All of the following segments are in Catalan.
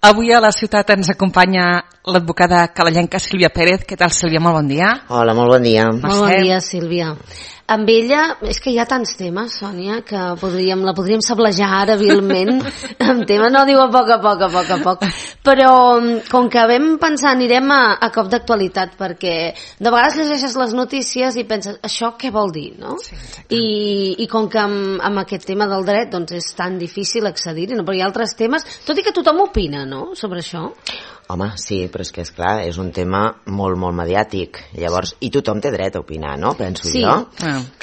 Avui a la ciutat ens acompanya l'advocada calellenca Sílvia Pérez. Què tal, Sílvia? Molt bon dia. Hola, molt bon dia. Molt bon dia, Sílvia. Amb ella, és que hi ha tants temes, Sònia, que la podríem sablejar ara habilment. Amb temes, no diu a poc. Però com que vam pensar, anirem a cop d'actualitat, perquè de vegades llegeixes les notícies i penses, això què vol dir, no? Sí, I com que amb aquest tema del dret doncs és tan difícil accedir-hi, no? Però hi ha altres temes, tot i que tothom opina, no?, sobre això. Home, sí, però és que, esclar, és un tema molt, molt mediàtic. Llavors, i tothom té dret a opinar, no? Penso sí. jo.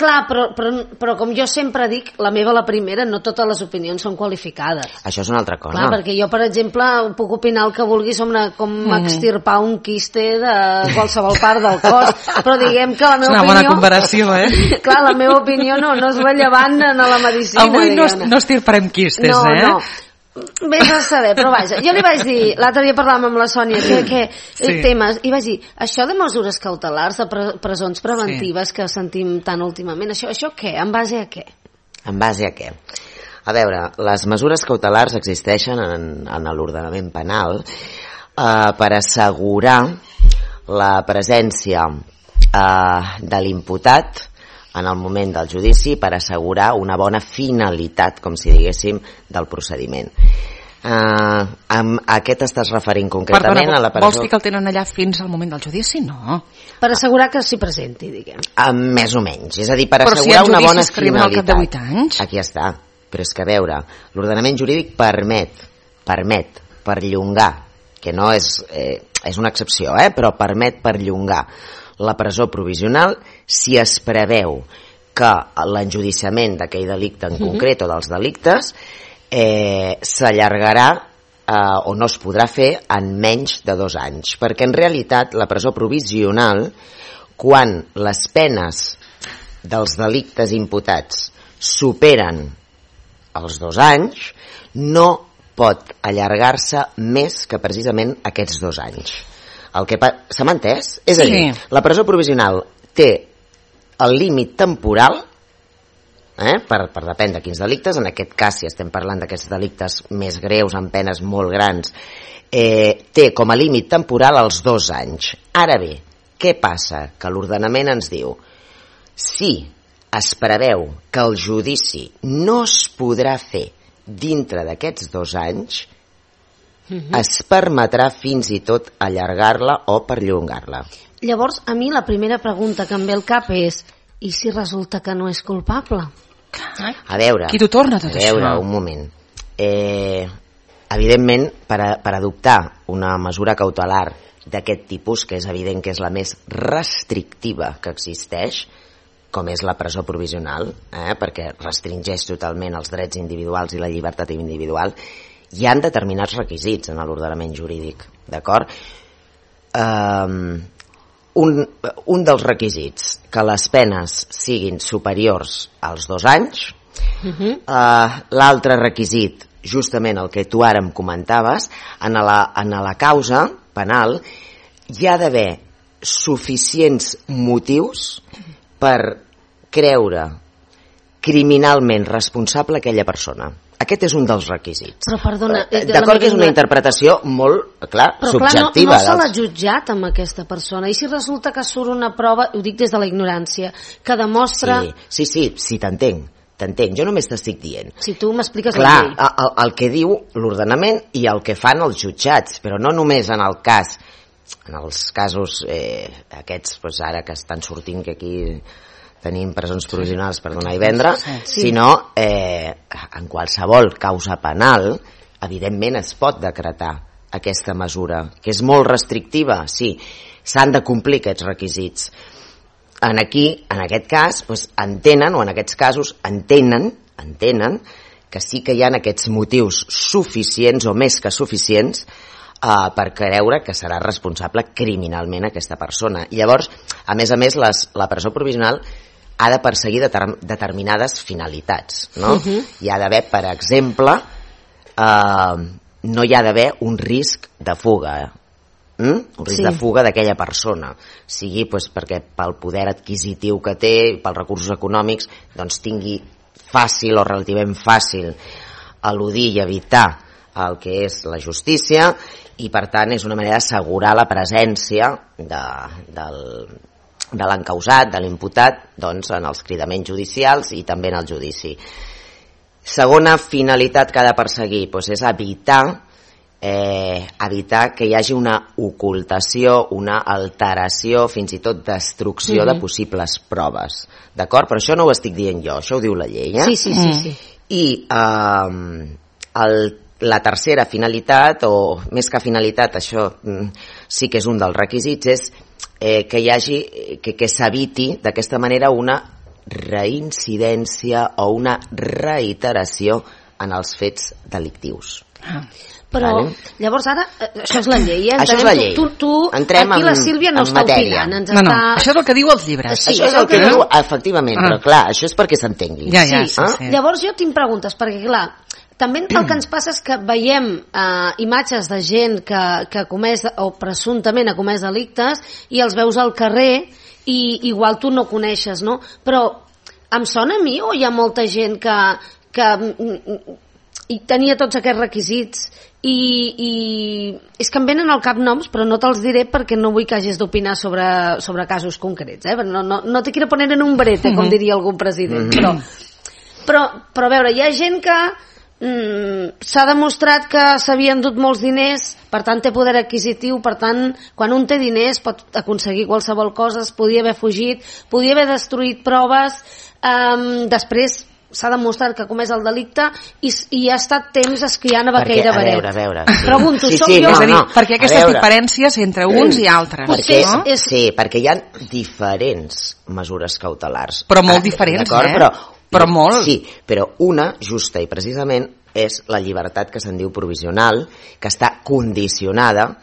Clar, però com jo sempre dic, la primera, no totes les opinions són qualificades. Això és una altra cosa. Clar, perquè jo, per exemple, puc opinar el que vulgui sobre com extirpar un quiste de qualsevol part del cos, però diguem que la meva opinió... És una bona comparació, eh? Clar, la meva opinió no és rellevant en la medicina. Avui no estirparem quistes, No. Vés a saber, però vaja, jo li vaig dir, l'altre dia parlàvem amb la Sònia, temes, i vaig dir, això de mesures cautelars, de presons preventives que sentim tan últimament, això què? En base a què? En base a què? A veure, les mesures cautelars existeixen en l'ordenament penal per assegurar la presència de l'imputat en el moment del judici, per assegurar una bona finalitat, com si diguéssim, del procediment. A què t'estàs referint concretament? Perdona, a la presó? vols dir que el tenen allà fins al moment del judici? No. Per assegurar que s'hi presenti, diguem. Més o menys, és a dir, per però assegurar si una bona finalitat. Però si hi ha judicis que arriben al cap de 8 anys. Aquí està, però és que a veure, l'ordenament jurídic permet perllongar, que no és una excepció, però permet perllongar la presó provisional si es preveu que l'enjudiciament d'aquell delicte en concret o dels delictes s'allargarà o no es podrà fer en menys de 2 anys, perquè en realitat la presó provisional, quan les penes dels delictes imputats superen els 2 anys, no pot allargar-se més que precisament aquests 2 anys. S'ha entès? És a dir, la presó provisional té el límit temporal per depèn de quins delictes, en aquest cas, si estem parlant d'aquests delictes més greus, amb penes molt grans, té com a límit temporal els 2 anys. Ara bé, què passa? Que l'ordenament ens diu, si es preveu que el judici no es podrà fer dintre d'aquests 2 anys, es permetrà fins i tot allargar-la o perllongar-la. Llavors, a mi la primera pregunta que em ve al cap és, i si resulta que no és culpable? A veure, qui t'ho torna tot això? Un moment. Evidentment, per adoptar una mesura cautelar d'aquest tipus, que és evident que és la més restrictiva que existeix, com és la presó provisional, perquè restringeix totalment els drets individuals i la llibertat individual, hi ha determinats requisits en l'ordenament jurídic, d'acord? Un dels requisits, que les penes siguin superiors als 2 anys, l'altre requisit, justament el que tu ara em comentaves, en la causa penal hi ha d'haver suficients motius per creure criminalment responsable aquella persona. Aquest és un dels requisits. Però perdona... D'acord que és una interpretació molt, subjectiva. Però no se l'ha jutjat amb aquesta persona. I si resulta que surt una prova, ho dic des de la ignorància, que demostra... Sí, t'entenc. Jo només t'estic dient. Si tu m'expliques la llei. Clar, el que diu l'ordenament i el que fan els jutjats, però no només en els casos aquests, ara que estan sortint, que aquí... tenim presons provisionals per donar i vendre, sinó en qualsevol causa penal, evidentment es pot decretar aquesta mesura, que és molt restrictiva, sí, s'han de complir aquests requisits. En aquest cas, entenen, o en aquests casos, entenen que sí que hi ha aquests motius suficients, o més que suficients, per creure que serà responsable criminalment aquesta persona. I llavors, a més, la presó provisional ha de perseguir determinades finalitats, no? Hi ha d'haver, per exemple, no hi ha d'haver un risc de fuga, un risc de fuga d'aquella persona, sigui perquè pel poder adquisitiu que té, pels recursos econòmics, doncs tingui fàcil o relativament fàcil eludir i evitar el que és la justícia i per tant és una manera d'assegurar la presència de l'encausat, de l'imputat, doncs, en els cridaments judicials i també en el judici. Segona finalitat que ha de perseguir doncs és evitar que hi hagi una ocultació, una alteració, fins i tot destrucció de possibles proves. D'acord? Però això no ho estic dient jo, això ho diu la llei. Sí. I la tercera finalitat, o més que finalitat, això sí que és un dels requisits, és que hi hagi, que s'eviti d'aquesta manera una reincidència o una reiteració en els fets delictius. Però, llavors ara, això és la llei, Això és la llei. Entrem aquí la Sílvia no està opinant. No, això és el que diu els llibres. Sí, això és el que diu, efectivament, però clar, això és perquè s'entengui. Sí. Llavors jo tinc preguntes, perquè clar, també el que ens passa és que veiem imatges de gent que ha comès, o presumptament ha comès delictes, i els veus al carrer i igual tu no coneixes, no? Però em sona a mi o hi ha molta gent que tenia tots aquests requisits i és que em venen al cap noms, però no te'ls diré perquè no vull que hagis d'opinar sobre casos concrets, no te quiero poner en un brete, com diria algun president, però a veure, hi ha gent que s'ha demostrat que s'havien dut molts diners, per tant té poder adquisitiu, per tant quan un té diners pot aconseguir qualsevol cosa, es podia haver fugit, podia haver destruït proves, després s'ha demostrat que ha comès el delicte i ha estat temps esquiant a Baqueira Beret. A veure. Pregunto, sí, soc jo? És a dir, perquè aquestes diferències entre uns i altres. Sí, perquè hi ha diferents mesures cautelars. Però molt diferents, Però molt. Sí, però una, justa i precisament, és la llibertat que se'n diu provisional, que està condicionada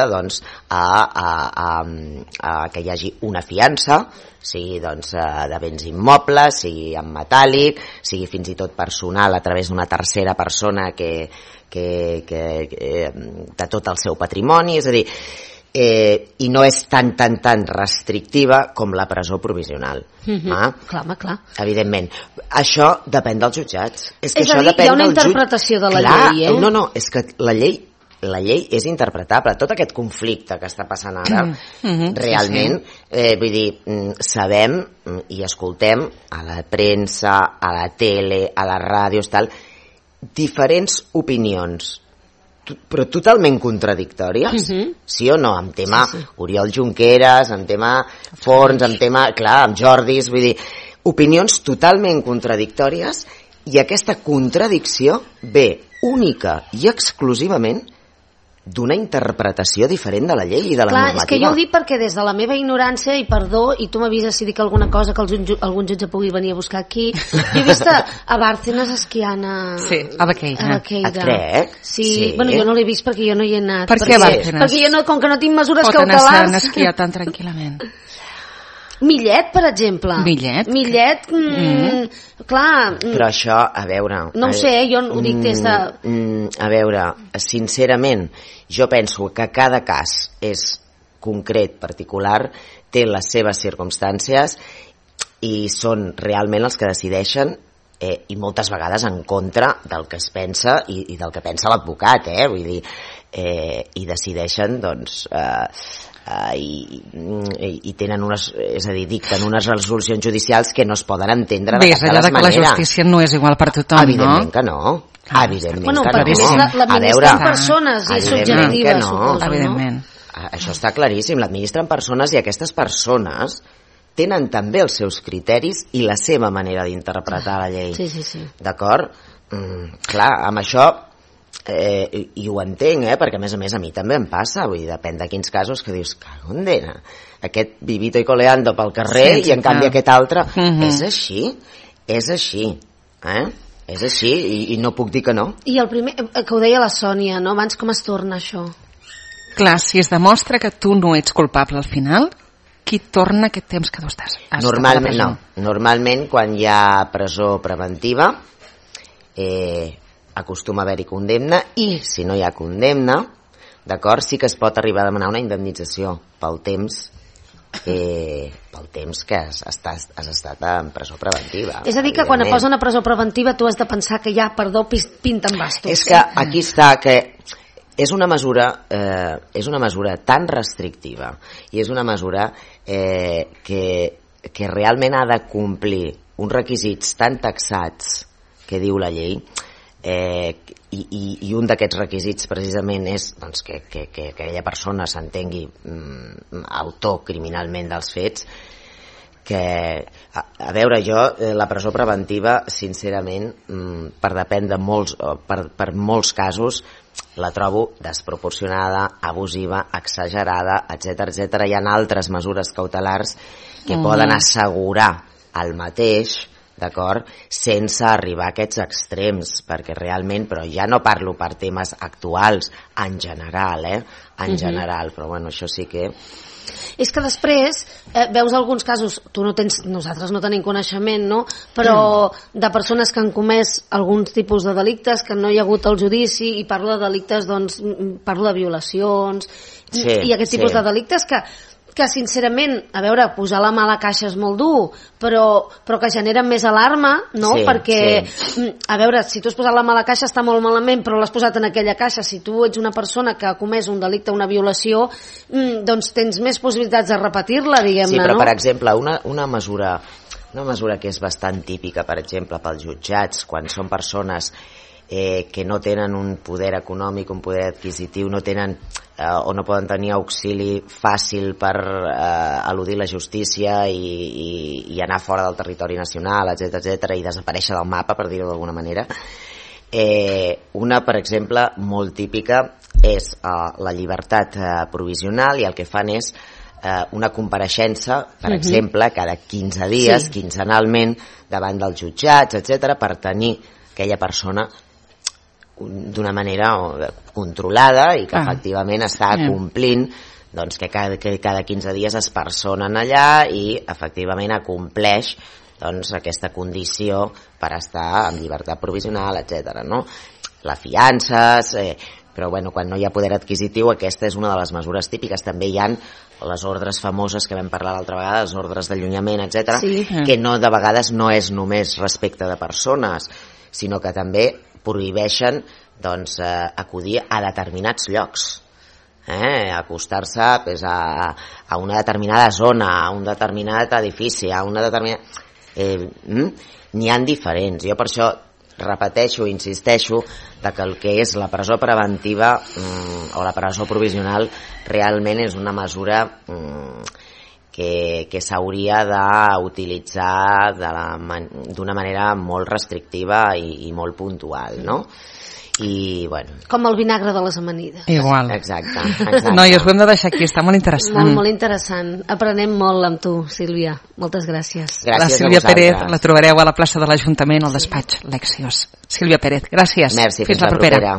doncs, a que hi hagi una fiança, sigui doncs, de béns immobles, sigui en metàl·lic, sigui fins i tot personal a través d'una tercera persona que de tot el seu patrimoni, és a dir, i no és tan restrictiva com la presó provisional. Clar. Evidentment. Això depèn dels jutjats. És a dir, hi ha una interpretació de la llei, No, és que la llei és interpretable. Tot aquest conflicte que està passant ara, realment, vull dir, sabem i escoltem a la premsa, a la tele, a les ràdios, diferents opinions, però totalment contradictòries, sí o no? En tema Oriol Junqueras, en tema Forns, en tema, clar, amb Jordis, vull dir, opinions totalment contradictòries, i aquesta contradicció ve única i exclusivament d'una interpretació diferent de la llei i de la normativa. És que jo ho dic perquè des de la meva ignorància, i perdó, i tu m'avises si dic alguna cosa que algun jutge pugui venir a buscar aquí, jo he vist a Bárcenas esquiant a Baqueira. Crec? Sí. Bueno, jo no l'he vist perquè jo no hi he anat. Per què Bárcenas? Perquè jo, com que no tinc mesures cautelars... Pot anar a esquiar tan tranquil·lament. Millet, per exemple. Millet, clar... Però això, a veure... No ho sé, jo ho dic des de... A veure, sincerament, jo penso que cada cas és concret, particular, té les seves circumstàncies i són realment els que decideixen i moltes vegades en contra del que es pensa i del que pensa l'advocat, vull dir, i decideixen, doncs... i tenen dicten unes resolucions judicials que no es poden entendre de cap de les maneres. Que la justícia no és igual per tothom, evidentment que no. Evidentment que no. L'administren persones i subjectives, suposo, evidentment. Això està claríssim, l'administren persones i aquestes persones tenen també els seus criteris i la seva manera d'interpretar la llei. Sí. D'acord? Clar, amb això i ho entenc, perquè a més a mi també em passa, vull dir, depèn de quins casos que dius, cagondena, aquest vivito i coleando pel carrer i en canvi aquest altre, és així és així i no puc dir que no. I el primer, que ho deia la Sònia, no? Abans com es torna això? Clar, si es demostra que tu no ets culpable al final, qui torna aquest temps que tu estàs? Normalment quan hi ha presó preventiva acostuma a haver-hi condemna i si no hi ha condemna, d'acord, sí que es pot arribar a demanar una indemnització pel temps pel temps que has estat en presó preventiva. És a dir, que quan et posen a presó preventiva tu has de pensar que ja, perdó, pinten bastos. És que aquí està, que és una mesura tan restrictiva i és una mesura que realment ha de complir uns requisits tan taxats que diu la llei, i un d'aquests requisits precisament és doncs, que aquella persona s'entengui autor criminalment dels fets, que a veure, jo la presó preventiva sincerament per molts casos la trobo desproporcionada, abusiva, exagerada, etc. Hi ha altres mesures cautelars que poden assegurar el mateix, d'acord, sense arribar a aquests extrems, perquè realment, però ja no parlo per temes actuals, en general, general, però bueno, això sí que... És que després veus alguns casos, nosaltres no tenim coneixement, no? Però de persones que han comès alguns tipus de delictes, que no hi ha hagut el judici, i parlo de delictes, doncs, parlo de violacions, i aquest tipus de delictes que sincerament, a veure, posar la mà a la caixa és molt dur, però que generen més alarma, no? Perquè, a veure, si tu has posat la mà a la caixa està molt malament, però l'has posat en aquella caixa. Si tu ets una persona que ha comès un delicte, una violació, doncs tens més possibilitats de repetir-la, diguem-ne, no? Sí, però per exemple, una mesura que és bastant típica, per exemple, pels jutjats, quan són persones que no tenen un poder econòmic, un poder adquisitiu, no tenen o no poden tenir auxili fàcil per eludir la justícia i anar fora del territori nacional, etc, i desaparèixer del mapa, per dir-ho d'alguna manera. Una, per exemple, molt típica és la llibertat provisional, i el que fan és una compareixença, per exemple, cada 15 dies, quinzenalment, davant dels jutjats, etc, per tenir aquella persona d'una manera controlada i que efectivament està complint, doncs que cada 15 dies es personen allà i efectivament acompleix doncs aquesta condició per estar en llibertat provisional, etc, no? La fiances, però bueno, quan no hi ha poder adquisitiu, aquesta és una de les mesures típiques. També hi ha les ordres famoses que vam parlar l'altra vegada, les ordres d'allunyament, etc, que no, de vegades no és només respecte de persones, sinó que també prohibeixen doncs, acudir a determinats llocs, acostar-se pues, a una determinada zona, a un determinat edifici, a una determinada... N'hi ha diferents. Jo per això repeteixo, insisteixo, que el que és la presó preventiva o la presó provisional realment és una mesura que s'hauria d'utilitzar d'una manera molt restrictiva i molt puntual, no? I, bueno... Com el vinagre de les amanides. Igual. Exacte. No, i us ho hem de deixar aquí, està molt interessant. Molt interessant. Aprenem molt amb tu, Sílvia. Moltes gràcies. La Sílvia Pérez la trobareu a la plaça de l'Ajuntament, al despatx Lexios. Sílvia Pérez, gràcies. Merci, fins la propera.